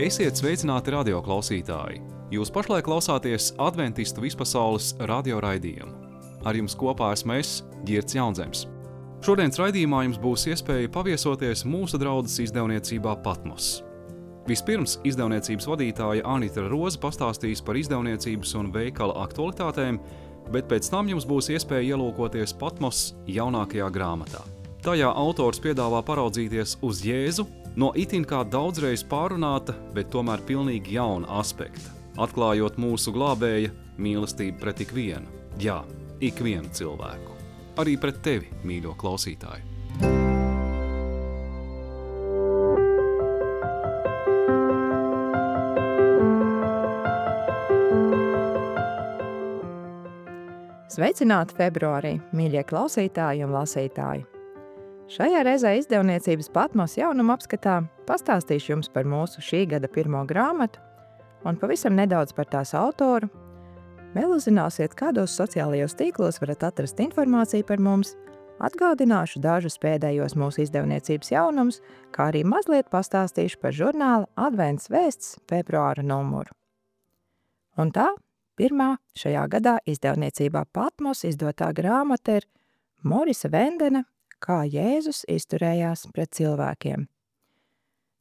Esiet sveicināti radioklausītāji! Jūs pašlaik klausāties Adventistu vispasaules radioraidījumu. Ar jums kopā esmu es, Girts Jaunzems. Šodienas raidījumā jums būs iespēja paviesoties mūsu draudzes izdevniecībā Patmos. Vispirms izdevniecības vadītāja Anita Roze pastāstīs par izdevniecības un veikala aktualitātēm, bet pēc tam jums būs iespēja ielūkoties Patmos jaunākajā grāmatā. Tajā autors piedāvā paraudzīties uz Jēzu no itin kā daudzreiz pārunāta, bet tomēr pilnīgi jauna aspekta, atklājot mūsu glābēja mīlestību pret ikvienu. Jā, ikvienu cilvēku. Arī pret tevi, mīļo klausītāju. Sveicināti februārī, mīļie klausītāji un lasītāji! Šajā reizē izdevniecības Patmos jaunuma apskatā pastāstīšu jums par mūsu šī gada pirmo grāmatu un pavisam nedaudz par tās autoru. Vēl uzzināsiet, kādos sociālajos tīklos varat atrast informāciju par mums, atgādināšu dažus pēdējos mūsu izdevniecības jaunumus, kā arī mazliet pastāstīšu par žurnāla Advents vēsts februāra numuru. Un tā, pirmā šajā gadā izdevniecībā Patmos izdotā grāmata ir Morisa Vendena Kā Jēzus izturējās pret cilvēkiem.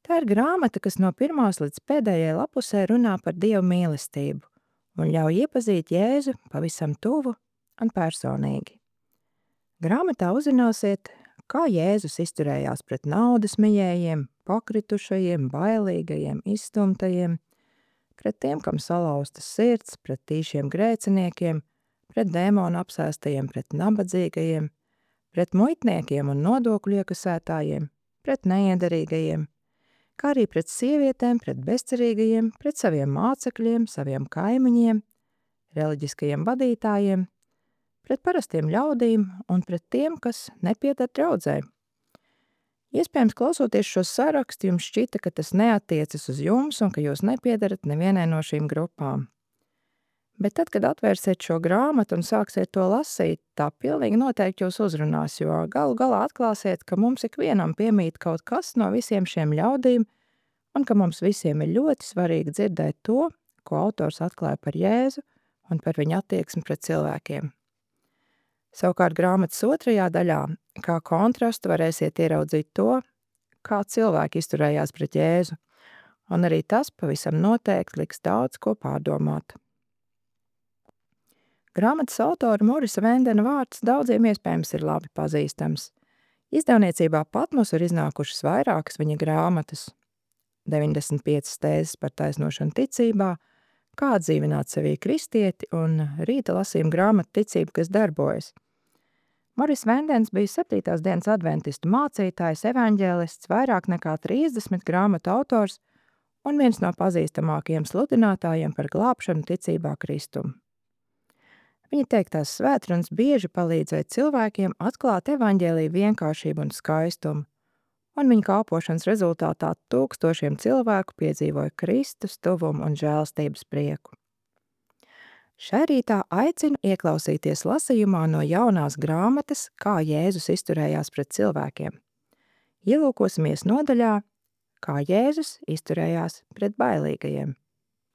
Tā ir grāmata, kas no pirmās līdz pēdējai lapusē runā par Dievu mīlestību un ļauj iepazīt Jēzu pavisam tuvu un personīgi. Grāmatā uzzināsiet, kā Jēzus izturējās pret naudas mijējiem, pakritušajiem, bailīgajiem, izstumtajiem, pret tiem, kam salauztas sirds, pret tīšiem grēciniekiem, pret dēmonu apsēstajiem, pret nabadzīgajiem, pret muitniekiem un nodokļu iekasētājiem, pret neiederīgajiem, kā arī pret sievietēm, pret bezcerīgajiem, pret saviem mācekļiem, saviem kaimiņiem, reliģiskajiem vadītājiem, pret parastiem ļaudīm un pret tiem, kas nepieder draudzē. Iespējams, klausoties šo sarakstu, jums šķita, ka tas neatiecas uz jums un ka jūs nepiedarat nevienai no šīm grupām. Bet tad, kad atvērsiet šo grāmatu un sāksiet to lasīt, tā pilnīgi noteikti jūs uzrunās, jo galu galā atklāsiet, ka mums ikvienam piemīt kaut kas no visiem šiem ļaudīm un ka mums visiem ir ļoti svarīgi dzirdēt to, ko autors atklāja par Jēzu un par viņa attieksmi pret cilvēkiem. Savukārt grāmatas otrajā daļā, kā kontrastu varēsiet ieraudzīt to, kā cilvēki izturējās pret Jēzu, un arī tas pavisam noteikti liks daudz ko pārdomāt. Grāmatas autora Morisa Vendena vārds daudziem iespējams ir labi pazīstams. Izdevniecībā Patmos ir iznākušas vairākas viņa grāmatas. 95 tēzes par taisnošanu ticībā, kā atdzīvināt sevī kristieti un rīta lasījuma grāmata ticība, kas darbojas. Moris Vendens bija 7. dienas adventistu mācītājs, evaņģēlists, vairāk nekā 30 grāmatu autors un viens no pazīstamākajiem sludinātājiem par glābšanu ticībā Kristumu. Viņa teiktās svētrunas bieži palīdzēja cilvēkiem atklāt evaņģēlija vienkāršību un skaistumu, un viņa kalpošanas rezultātā tūkstošiem cilvēku piedzīvoja Kristus tuvumu un žēlstības prieku. Šai rītā aicinu ieklausīties lasījumā no jaunās grāmatas, kā Jēzus izturējās pret cilvēkiem. Ielūkosimies nodaļā, kā Jēzus izturējās pret bailīgajiem.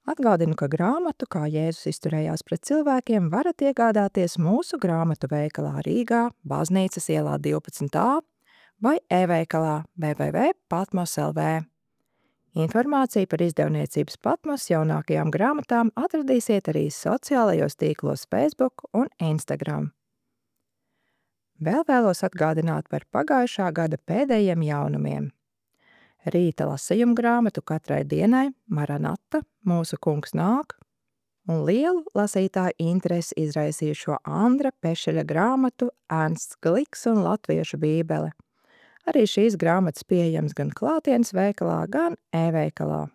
Atgādinu, ka grāmatu, kā Jēzus izturējās pret cilvēkiem, varat iegādāties mūsu grāmatu veikalā Rīgā, Baznīcas ielā 12a vai e-veikalā www.patmos.lv. Informāciju par izdevniecības Patmos jaunākajām grāmatām atradīsiet arī sociālajos tīklos Facebook un Instagram. Vēl vēlos atgādināt par pagājušā gada pēdējiem jaunumiem. Rīta lasījuma grāmatu katrai dienai Maranata, mūsu kungs nāk, un lielu lasītāju interesi izraisījušo Andra Pešeļa grāmatu Ernsts Gliks un latviešu bībele. Arī šīs grāmatas pieejams gan klātienes veikalā, gan e-veikalā.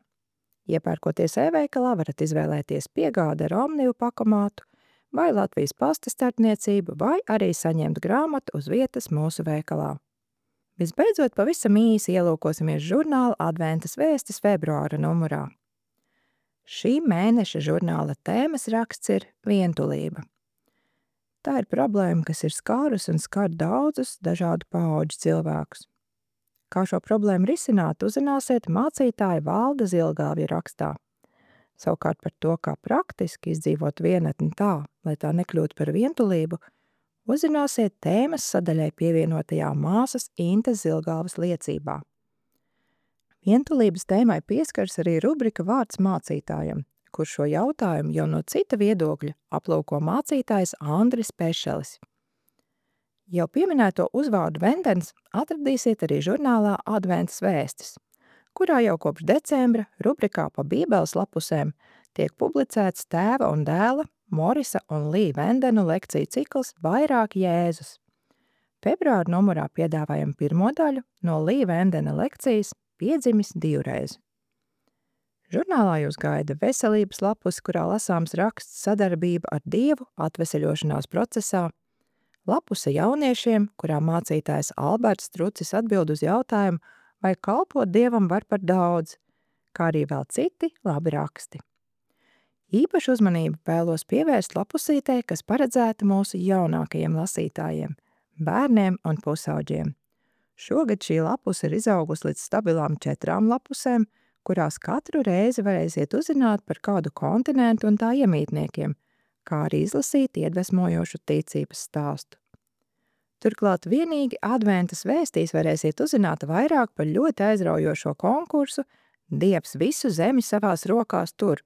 Iepērkoties e-veikalā, varat izvēlēties piegādi ar Omnivu pakomātu vai Latvijas pasta starpniecību, vai arī saņemt grāmatu uz vietas mūsu veikalā. Visbeidzot, pavisam īsi ielūkosimies žurnāla Adventas vēstis februāra numurā. Šī mēneša žurnāla tēmas raksts ir vientulība. Tā ir problēma, kas ir skārus un skar daudzus dažādu paudžu cilvēkus. Kā šo problēmu risināt, uzzināsiet mācītāja Valda Zilgāvja rakstā. Savukārt par to, kā praktiski izdzīvot vienatni tā, lai tā nekļūtu par vientulību, uzzināsiet tēmas sadaļai pievienotajā māsas Intes Zilgāvas liecībā. Vientulības tēmai pieskars arī rubrika Vārds mācītājam, kur šo jautājumu jau no cita viedokļa aplūko mācītājs Andris Pešelis. Jau pieminēto uzvārdu Vendens atradīsiet arī žurnālā Adventas vēstis, kurā jau kopš decembra rubrikā pa Bībeles lapusēm tiek publicēts tēva un dēla Morisa un Lī Vendenu lekciju cikls Vairāk Jēzus. Februāra numurā piedāvājam pirmo daļu no Lī Vendena lekcijas Piedzimis divreiz. Žurnālā jūs gaida veselības lapus, kurā lasāms raksts Sadarbība ar Dievu atveseļošanās procesā, lapuse jauniešiem, kurā mācītājs Alberts Strucis atbild uz jautājumu, vai kalpot Dievam var par daudz, kā arī vēl citi labi raksti. Īpašu uzmanību vēlos pievērst lapusītei, kas paredzēta mūsu jaunākajiem lasītājiem, bērniem un pusauģiem. Šogad šī lapuse ir izaugusi līdz stabilām 4 lapusēm, kurās katru reizi varēsiet uzzināt par kādu kontinentu un tā iemītniekiem, kā arī izlasīt iedvesmojošu ticības stāstu. Turklāt vienīgi Adventas vēstīs varēsiet uzzināt vairāk par ļoti aizraujošo konkursu Dievs visu zemi savās rokās tur,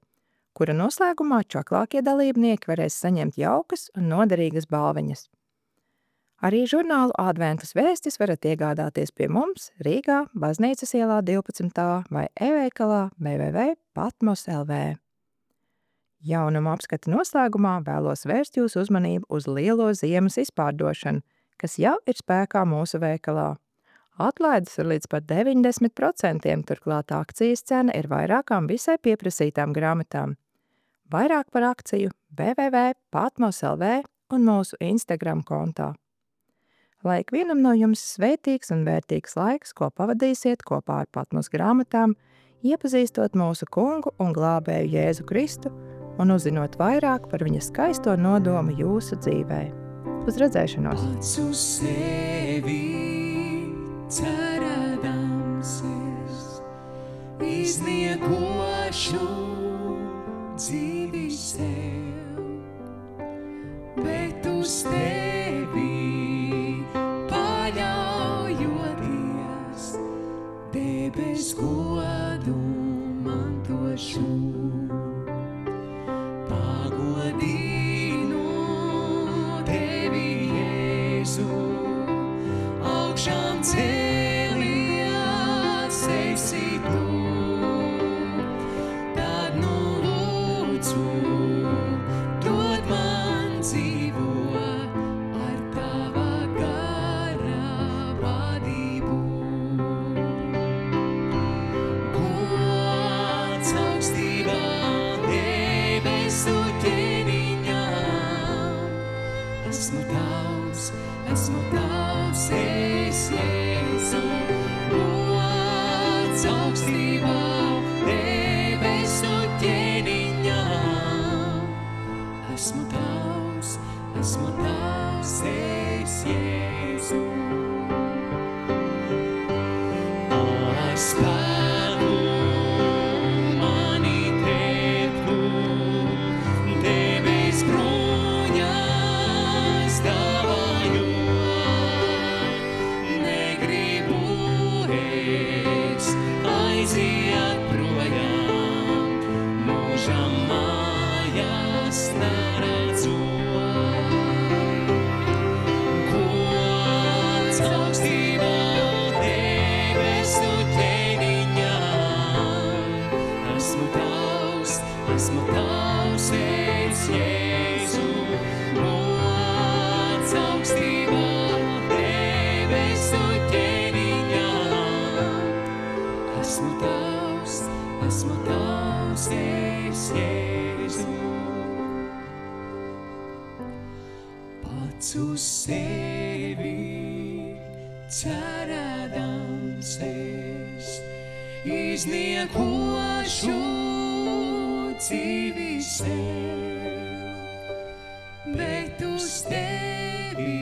kura noslēgumā čaklākie dalībnieki varēs saņemt jaukas un noderīgas balviņas. Arī žurnālu Adventas vēstis varat iegādāties pie mums Rīgā, Baznīcas ielā 12. vai e-veikalā www.patmos.lv. Jaunuma apskata noslēgumā vēlos vērst jūsu uzmanību uz lielo ziemas izpārdošanu, kas jau ir spēkā mūsu veikalā. Atlaides ir līdz pat 90%, turklāt akcijas cena ir vairākām visai pieprasītām grāmatām. Vairāk par akciju www.patmos.lv un mūsu Instagram kontā. Lai ikvienam no jums svētīgs un vērtīgs laiks, ko pavadīsiet kopā ar Patmos grāmatām, iepazīstot mūsu kungu un glābēju Jēzu Kristu un uzzinot vairāk par viņa skaisto nodomu jūsu dzīvē. Uz redzēšanos! Pats uz sevi cerēdams es izniekošu dzīvi sev, bet uz tevi paļaujoties debes godu mantošu. Pagodinu tevi, Jēzu, augšām cēlies esi tu, tad nu lūdzu dod man dzīvo ar tava gara vadību. Gods augstībā debesu ķēniņām, esmu tavs, es Jēzu. Gods augstībā debesu ķēniņām, esmu tavs, es Jēzu. Ar spēku mani teptu, debes bruņas dāvājot, negribu es aiziet projām, mūžam mājās neredzot. Gods augstībā debesu ķēniņām, esmu tavs, es Jēzu. Gods augstībā debesu ķēniņām, esmu tavs, es Jēzu. Pats uz sevi cerēdams es izniekošu dzīvi sev, bet uz tevi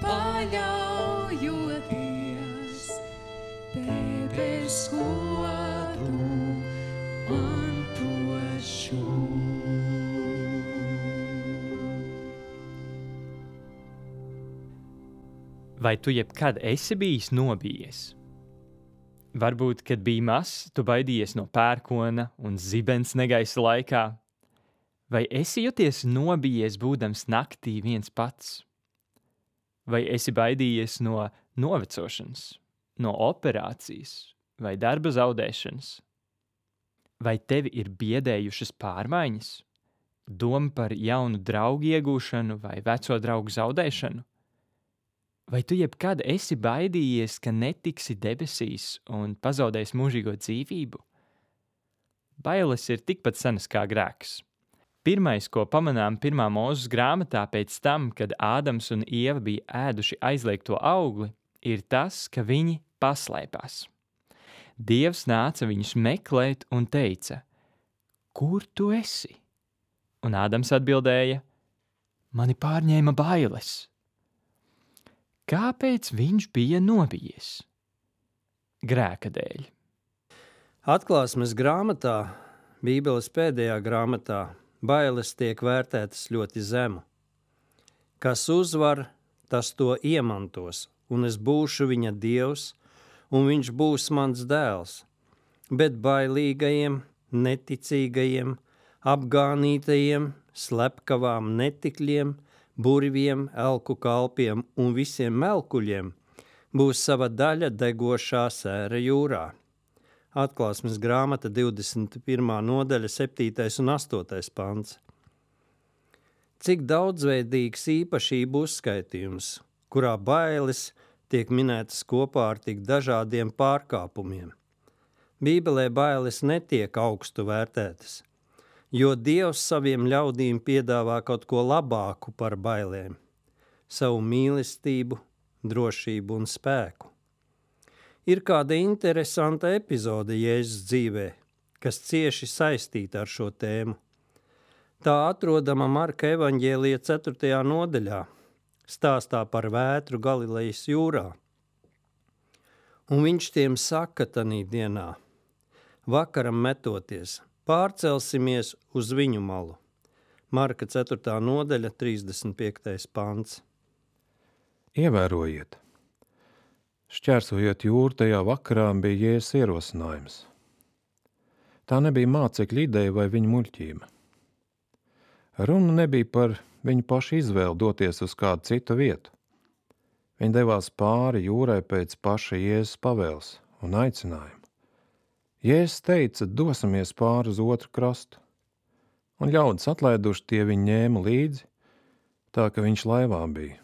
paļaujoties Vai tu jebkad esi bijis nobijies? Varbūt, kad biji mazs, tu baidījies no pērkona un zibens negaisa laikā. Vai esi jūties nobijies būdams naktī viens pats? Vai esi baidījies no novecošanas, no operācijas vai darba zaudēšanas? Vai tevi ir biedējušas pārmaiņas? Doma par jaunu draugu iegūšanu vai veco draugu zaudēšanu? Vai tu jebkad esi baidījies, ka netiksi debesīs un pazaudēsi mūžīgo dzīvību? Bailes ir tikpat senas kā grēks. Pirmais, ko pamanām 1. Mūzes grāmatā pēc tam, kad Ādams un Ieva bija ēduši aizliegto augli, ir tas, ka viņi paslēpās. Dievs nāca viņus meklēt un teica: Kur tu esi? Un Ādams atbildēja: Mani pārņēma bailes. Kāpēc viņš bija nobijies? Grēka dēļ. Atklāsmes grāmatā, Bībeles pēdējā grāmatā, bailes tiek vērtētas ļoti zemu. Kas uzvar, tas to iemantos, un es būšu viņa dievs, un viņš būs mans dēls. Bet bailīgajiem, neticīgajiem, apgānītajiem, slepkavām netikļiem, burviem, elku kalpiem un visiem melkuļiem būs sava daļa degošā sēra jūrā. Atklāsmes grāmata 21. nodaļa 7. un 8. pants. Cik daudzveidīgs īpašību uzskaitījums, kurā bailes tiek minētas kopā ar tik dažādiem pārkāpumiem. Bībelē bailes netiek augstu vērtētas, jo Dievs saviem ļaudīm piedāvā kaut ko labāku par bailēm – savu mīlestību, drošību un spēku. Ir kāda interesanta epizode Jēzus dzīvē, kas cieši saistīta ar šo tēmu. Tā atrodama Marka evaņģēlija 4. nodaļā, stāstā par vētru Galilejas jūrā. Un viņš tiem saka tanī dienā: Vakaram metoties, pārcelsimies uz viņu malu. Marka 4. nodaļa, 35. pants. Ievērojiet! Šķērsojot jūru tajā vakarā bija Jēzus ierosinājums. Tā nebija mācekļa ideja vai viņa muļķība. Runa nebija par viņu pašu izvēli doties uz kādu citu vietu. Viņi devās pāri jūrai pēc paša Jēzus pavēles un aicinājumu. Jēzus teica: dosimies pāri uz otru krastu, un ļaudis atlaiduši tie viņu ņēma līdzi, tā ka viņš laivā bija,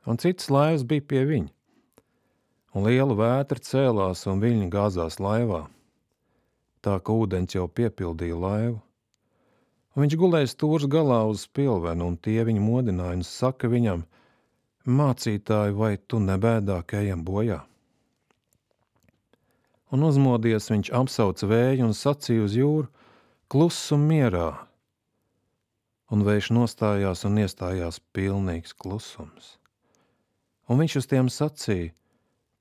un citas laivas bija pie viņa, un liela vētra cēlās un viļņi gāzās laivā, tā ka ūdens jau piepildīja laivu, un viņš gulēja stūres galā uz spilvenu, un tie viņu modināja un saka viņam: Mācītāji, vai tu nebēdā, ka ejam bojā? Un uzmodies viņš apsauca vēju un sacīja uz jūru: Klusum mierā! Un vējš nostājās un iestājās pilnīgs klusums. Un viņš uz tiem sacīja: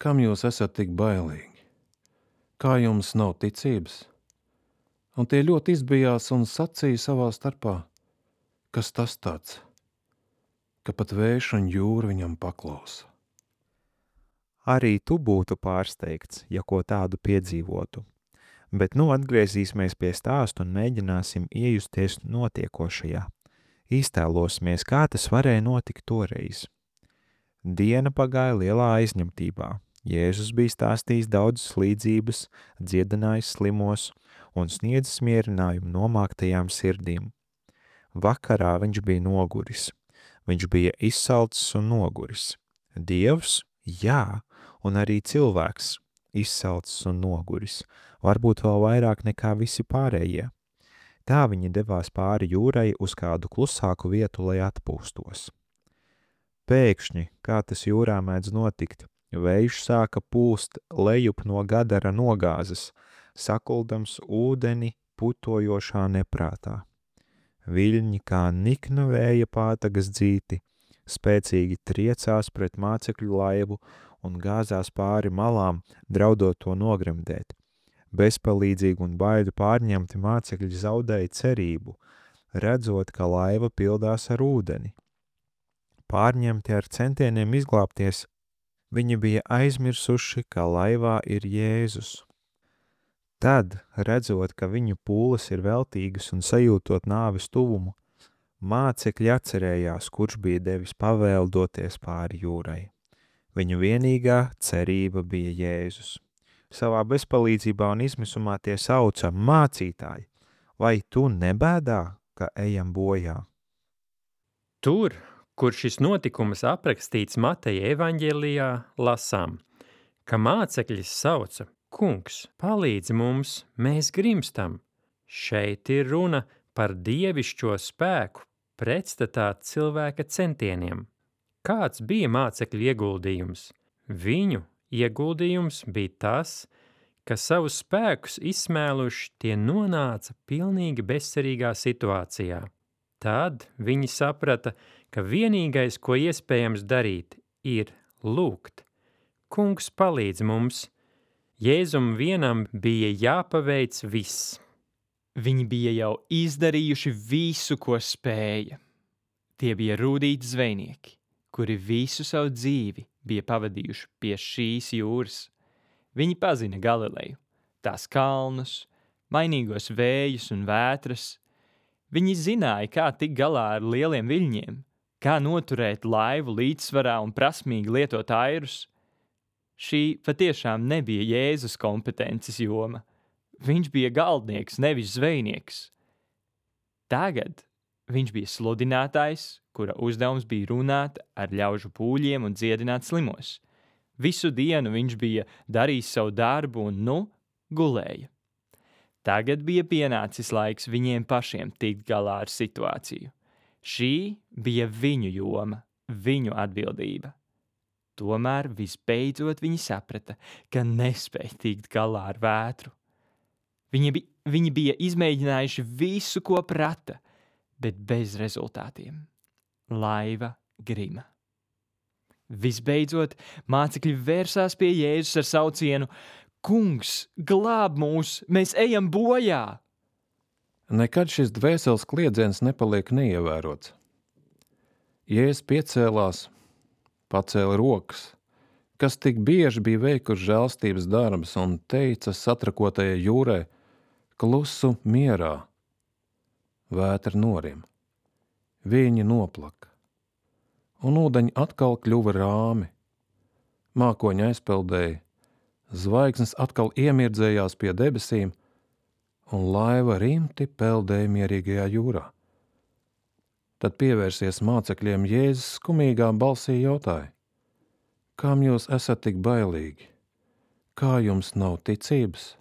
Kam jūs esat tik bailīgi? Kā jums nav ticības? Un tie ļoti izbijās un sacīja savā starpā: Kas tas tāds, ka pat vējš un jūra viņam paklausa? Arī tu būtu pārsteigts, ja ko tādu piedzīvotu. Bet nu atgriezīsimies pie stāsta un mēģināsim iejusties notiekošajā. Iztēlosimies, kā tas varēja notikt toreiz. Diena pagāja lielā aizņemtībā. Jēzus bija stāstījis daudzas līdzības, dziedinājis slimos un sniedzis mierinājumu nomāktajām sirdīm. Vakarā viņš bija noguris. Viņš bija izsalcis un noguris. Dievs, jā, un arī cilvēks, izsalcis un noguris, varbūt vēl vairāk nekā visi pārējie. Tā viņi devās pāri jūrai uz kādu klusāku vietu, lai atpūstos. Pēkšņi, kā tas jūrā mēdz notikt, vējš sāka pūst lejup no Gadara nogāzes, sakuldams ūdeni putojošā neprātā. Viļņi kā nikna vēja pātagas dzīti, spēcīgi triecās pret mācekļu laivu un gāzās pāri malām, draudot to nogremdēt. Bezpalīdzīgi un baidu pārņemti mācekļi zaudēja cerību, redzot, ka laiva pildās ar ūdeni. Pārņemti ar centieniem izglābties, Viņi bija aizmirsuši, ka laivā ir Jēzus. Tad, redzot, ka viņu pūles ir veltīgas un sajūtot nāves tuvumu, mācekļi atcerējās, kurš bija devis pavēli doties pāri jūrai. Viņu vienīgā cerība bija Jēzus. Savā bezpalīdzībā un izmisumā tie sauca: mācītāji, vai tu nebēdā, ka ejam bojā? Tur, kur šis notikums aprakstīts Mateja evaņģēlijā, lasām, ka mācekļi sauca: Kungs, palīdzi mums, mēs grimstam. Šeit ir runa par dievišķo spēku pretstatā cilvēka centieniem. Kāds bija mācekļu ieguldījums? Viņu ieguldījums bija tas, ka savus spēkus izsmēluši tie nonāca pilnīgi bezcerīgā situācijā. Tad viņi saprata, ka vienīgais, ko iespējams darīt, ir lūgt. Kungs, palīdz mums! Jēzum vienam bija jāpaveic viss. Viņi bija jau izdarījuši visu, ko spēja. Tie bija rūtīti zvejnieki, kuri visu savu dzīvi bija pavadījuši pie šīs jūras. Viņi pazina Galileju, tās kalnus, mainīgos vējus un vētras. Viņi zināja, kā tikt galā ar lieliem viļņiem, kā noturēt laivu līdzsvarā un prasmīgi lietot airus. Šī patiešām nebija Jēzus kompetences joma. Viņš bija galdnieks, nevis zvejnieks. Tagad viņš bija sludinātājs, kura uzdevums bija runāt ar ļaužu pūļiem un dziedināt slimos. Visu dienu viņš bija darījis savu darbu un, gulēja. Tagad bija pienācis laiks viņiem pašiem tikt galā ar situāciju. Šī bija viņu joma, viņu atbildība. Tomēr visbeidzot viņi saprata, ka nespēja tikt galā ar vētru. Viņi bija izmēģinājuši visu, ko prata, bet bez rezultātiem. Laiva grima. Visbeidzot, mācekļi vērsās pie Jēzus ar saucienu: Kungs, glāb mūs, mēs ejam bojā! Nekad šis dvēseles kliedziens nepaliek neievērots. Jēzus piecēlās, pacēla rokas, kas tik bieži bija veikuši žēlstības darbus, un teica satrakotajai jūrai: klusu mierā. Vētra norim. Viņi noplaka. Un ūdeņi atkal kļuva rāmi. Mākoņi aizpeldēja. Zvaigznes atkal iemirdzējās pie debesīm, un laiva rimti peldēja mierīgajā jūrā. Tad pievērsies mācekļiem Jēzus skumīgā balsī jautāja: Kām jūs esat tik bailīgi? Kā jums nav ticības?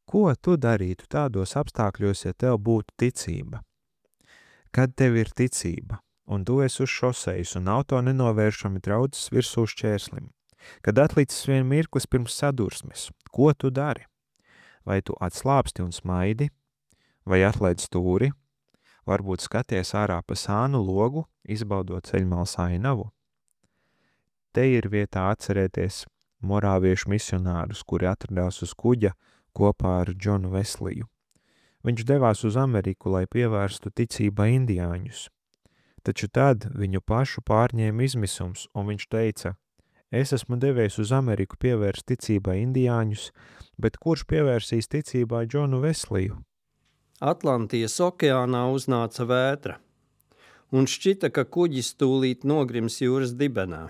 Ko tu darītu tādos apstākļos, ja tev būtu ticība? Kad tev ir ticība, un tu esi uz šosejas un auto nenovēršami traucas virsū šķērslim, kad atlicis vien mirklis pirms sadursmes, ko tu dari? Vai tu atslāpsti un smaidi, vai atlaid stūri, varbūt skaties ārā pa sānu logu, izbaudot ceļmalas ainavu? Te ir vietā atcerēties morāviešu misionārus, kuri atradās uz kuģa kopā ar Džonu Vesliju. Viņš devās uz Ameriku, lai pievērstu ticībā indiāņus. Taču tad viņu pašu pārņēma izmisums, un viņš teica: es esmu devies uz Ameriku pievērst ticībā indiāņus, bet kurš pievērsīs ticībā Džonu Vesliju? Atlantijas okeānā uznāca vētra, un šķita, ka kuģis tūlīt nogrims jūras dibenā.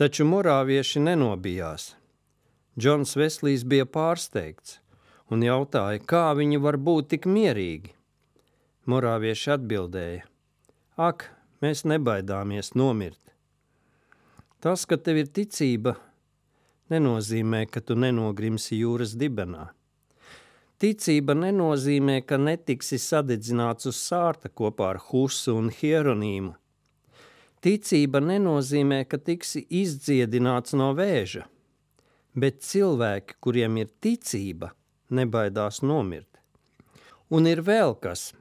Taču morāvieši nenobijās. Džons Veslijs bija pārsteigts un jautāja, kā viņi var būt tik mierīgi. Morāvieši atbildēja: ak, mēs nebaidāmies nomirt. Tas, ka tev ir ticība, nenozīmē, ka tu nenogrimsi jūras dibenā. Ticība nenozīmē, ka netiksi sadedzināts uz sārta kopā ar Husu un Hieronīmu. Ticība nenozīmē, ka tiksi izdziedināts no vēža, bet cilvēki, kuriem ir ticība, nebaidās nomirt. Un ir vēl kas.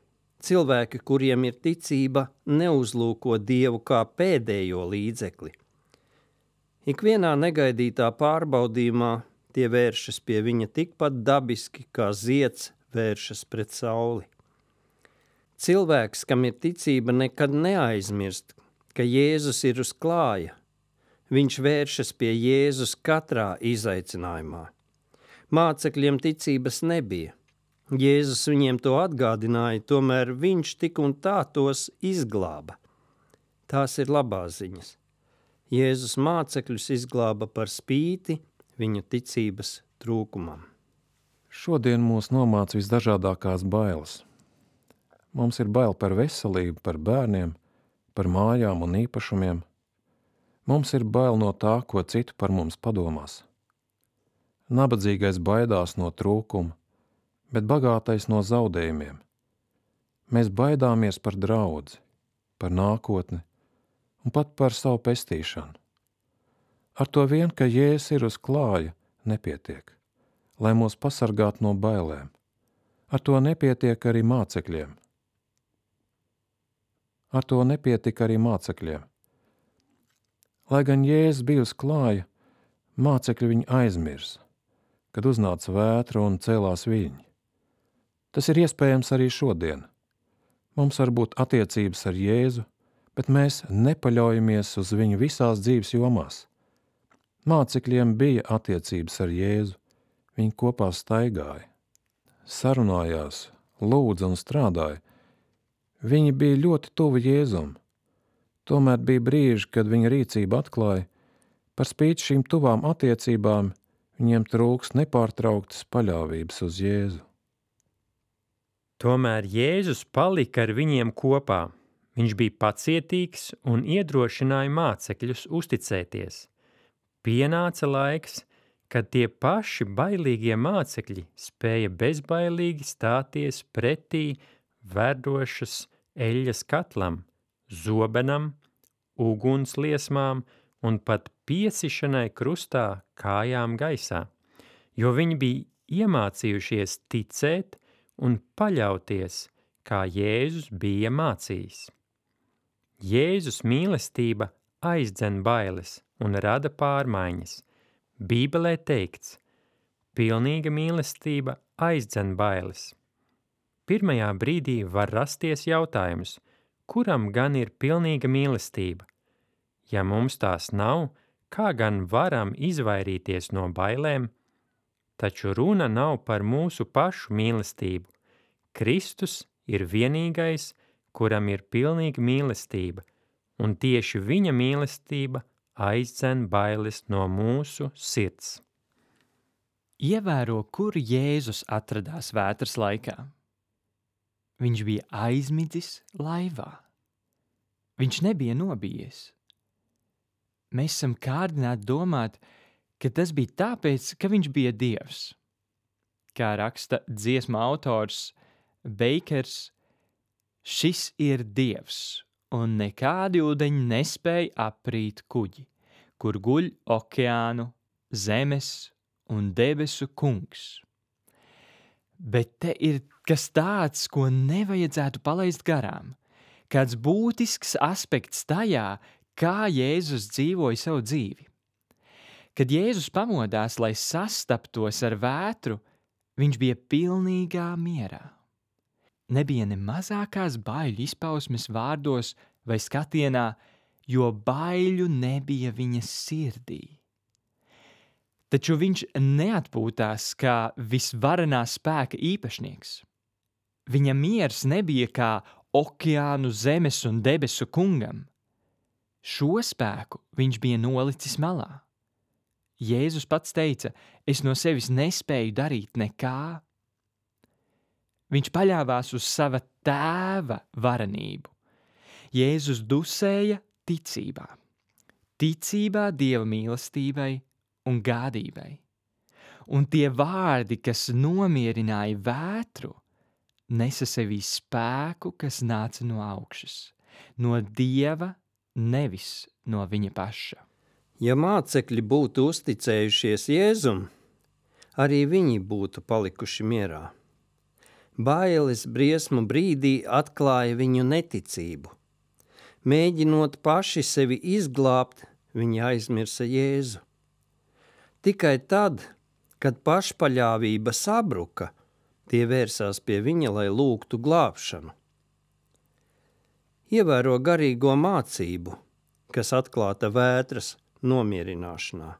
Cilvēki, kuriem ir ticība, neuzlūko Dievu kā pēdējo līdzekli. Ikvienā negaidītā pārbaudījumā tie vēršas pie viņa tikpat dabiski, kā zieds vēršas pret sauli. Cilvēks, kam ir ticība, nekad neaizmirst, ka Jēzus ir uz klāja. Viņš vēršas pie Jēzus katrā izaicinājumā. Mācekļiem ticības nebija. Jēzus viņiem to atgādināja, tomēr viņš tik un tā tos izglāba. Tās ir labās ziņas. Jēzus mācekļus izglāba par spīti viņu ticības trūkumam. Šodien mūs nomāca visdažādākās bailes. Mums ir bail par veselību, par bērniem, par mājām un īpašumiem. Mums ir bail no tā, ko citu par mums padomās. Nabadzīgais baidās no trūkuma, bet bagātais no zaudējumiem. Mēs baidāmies par draudzi, par nākotni un pat par savu pestīšanu. Ar to vien, ka Jēzus ir uz klāja, nepietiek, lai mūs pasargātu no bailēm. Ar to nepietiek arī mācekļiem. Ar to nepietika arī mācekļiem. Lai gan Jēzus bija uz klāja, mācekļi viņu aizmirsa, kad uznāca vētra un cēlās viļņi. Tas ir iespējams arī šodien. Mums var būt attiecības ar Jēzu, bet mēs nepaļaujamies uz viņu visās dzīves jomās. Mācekļiem bija attiecības ar Jēzu, viņi kopā staigāja, sarunājās, lūdza un strādāja. Viņi bija ļoti tuvi Jēzum. Tomēr bija brīži, kad viņa rīcība atklāja, par spīti šīm tuvām attiecībām viņiem trūks nepārtrauktas paļāvības uz Jēzu. Tomēr Jēzus palika ar viņiem kopā. Viņš bija pacietīgs un iedrošināja mācekļus uzticēties. Pienāca laiks, kad tie paši bailīgie mācekļi spēja bezbailīgi stāties pretī verdošas eļļas katlam, zobenam, ugunsliesmām un pat piesišanai krustā kājām gaisā, jo viņi bija iemācījušies ticēt un paļauties, kā Jēzus bija mācījis. Jēzus mīlestība aizdzen bailes un rada pārmaiņas. Bībelē teikts, pilnīga mīlestība aizdzen bailes. Pirmajā brīdī var rasties jautājums, kuram gan ir pilnīga mīlestība? Ja mums tās nav, kā gan varam izvairīties no bailēm? Taču runa nav par mūsu pašu mīlestību. Kristus ir vienīgais, kuram ir pilnīga mīlestība, un tieši viņa mīlestība aizdzen bailes no mūsu sirds. Ievēro, kur Jēzus atradās vētras laikā. Viņš bija aizmidzis laivā. Viņš nebija nobijies. Mēs esam kārdināti domāt, ka tas bija tāpēc, ka viņš bija Dievs. Kā raksta dziesma autors Beikers, šis ir Dievs, un nekādi ūdeņi nespēja aprīt kuģi, kur guļ okeānu, zemes un debesu kungs. Bet te ir kas tāds, ko nevajadzētu palaist garām, kāds būtisks aspekts tajā, kā Jēzus dzīvoja savu dzīvi. Kad Jēzus pamodās, lai sastaptos ar vētru, viņš bija pilnīgā mierā. Nebija ne mazākās baiļu izpausmes vārdos vai skatienā, jo baiļu nebija viņa sirdī. Taču viņš neatpūtās kā visvarenā spēka īpašnieks. Viņa miers nebija kā okeānu, zemes un debesu kungam. Šo spēku viņš bija nolicis malā. Jēzus pats teica, es no sevis nespēju darīt nekā. Viņš paļāvās uz sava tēva varenību. Jēzus dusēja ticībā. Ticībā Dieva mīlestībai un gādībai. Un tie vārdi, kas nomierināja vētru, nesa sevī spēku, kas nāca no augšas, no Dieva, nevis no viņa paša. Ja mācekļi būtu uzticējušies Jēzum, arī viņi būtu palikuši mierā. Bailes briesmu brīdī atklāja viņu neticību. Mēģinot paši sevi izglābt, viņi aizmirsa Jēzu. Tikai tad, kad pašpaļāvība sabruka, tie vērsās pie viņa, lai lūgtu glābšanu. Ievēro garīgo mācību, kas atklāta vētras nomierināšanā.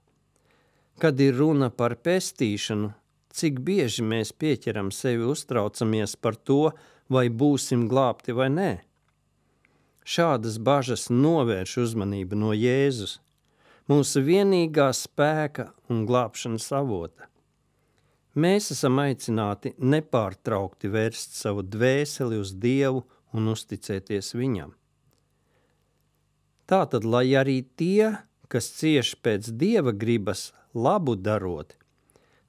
Kad ir runa par pestīšanu, cik bieži mēs pieķeram sevi uztraucamies par to, vai būsim glābti vai nē. Šādas bažas novērš uzmanību no Jēzus, mūsu vienīgā spēka un glābšanas avota. Mēs esam aicināti nepārtraukti vērst savu dvēseli uz Dievu un uzticēties Viņam. Tātad, lai arī tie, kas cieš pēc Dieva gribas labu darot,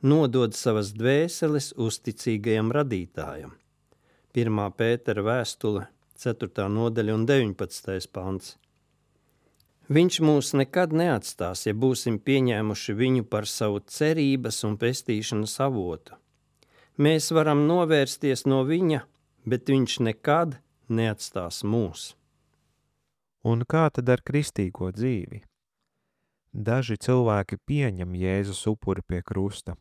nodod savas dvēseles uzticīgajam radītājam. 1. Pētera vēstule, 4. nodaļa un 19. pants. Viņš mūs nekad neatstās, ja būsim pieņēmuši viņu par savu cerības un pestīšanas avotu. Mēs varam novērsties no viņa, bet viņš nekad neatstās mūs. Un kā tad ar kristīgo dzīvi? Daži cilvēki pieņem Jēzus upuri pie krusta,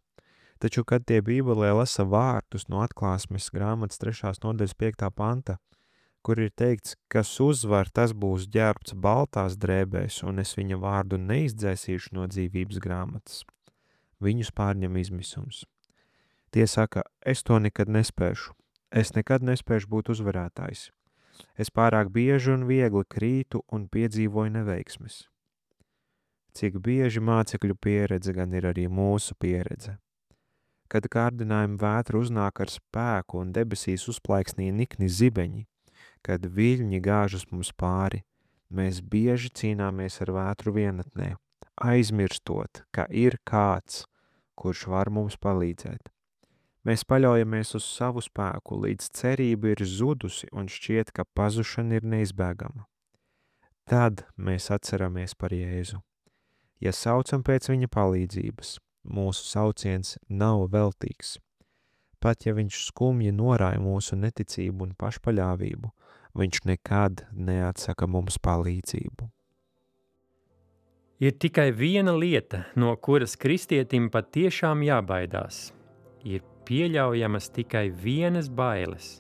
taču, kad tie Bībelē lasa vārtus no Atklāsmes grāmatas 3. nodaļas 5. panta, kur ir teikts, kas uzvar, tas būs ģērbts baltās drēbēs, un es viņa vārdu neizdzēsīšu no dzīvības grāmatas. Viņus pārņem izmisums. Tie saka, es to nekad nespēšu. Es nekad nespēšu būt uzvarētājs. Es pārāk bieži un viegli krītu un piedzīvoju neveiksmes. Cik bieži mācekļu pieredze gan ir arī mūsu pieredze. Kad kārdinājuma vētra uznāk ar spēku un debesīs uzplaiksnīja nikni zibeņi, kad viļņi gāžas mums pāri, mēs bieži cīnāmies ar vētru vienatnē, aizmirstot, ka ir kāds, kurš var mums palīdzēt. Mēs paļaujamies uz savu spēku, līdz cerība ir zudusi un šķiet, ka pazušana ir neizbēgama. Tad mēs atceramies par Jēzu. Ja saucam pēc viņa palīdzības, mūsu sauciens nav veltīgs. Pat ja viņš skumji norāja mūsu neticību un pašpaļāvību, viņš nekad neatsaka mums palīdzību. Ir tikai viena lieta, no kuras kristietim patiešām jābaidās. Ir pieļaujamas tikai vienas bailes.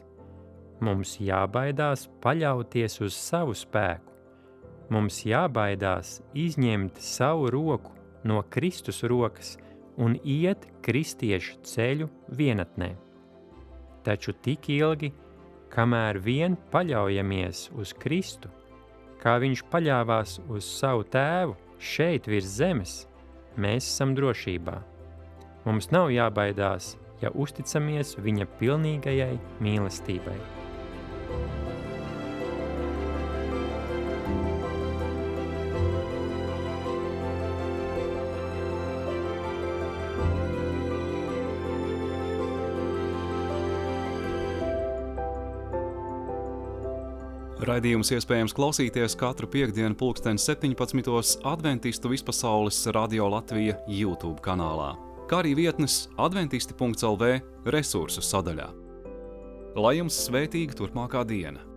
Mums jābaidās paļauties uz savu spēku. Mums jābaidās izņemt savu roku no Kristus rokas un iet kristiešu ceļu vienatnē. Taču tik ilgi, kamēr vien paļaujamies uz Kristu, kā viņš paļāvās uz savu tēvu šeit virs zemes, mēs esam drošībā. Mums nav jābaidās, ja uzticamies viņa pilnīgajai mīlestībai. Raidījums iespējams klausīties katru piektdienu 17. Adventistu vispasaules Radio Latvija YouTube kanālā, kā arī vietnes adventisti.lv resursu sadaļā. Lai jums svētīga turpmākā diena!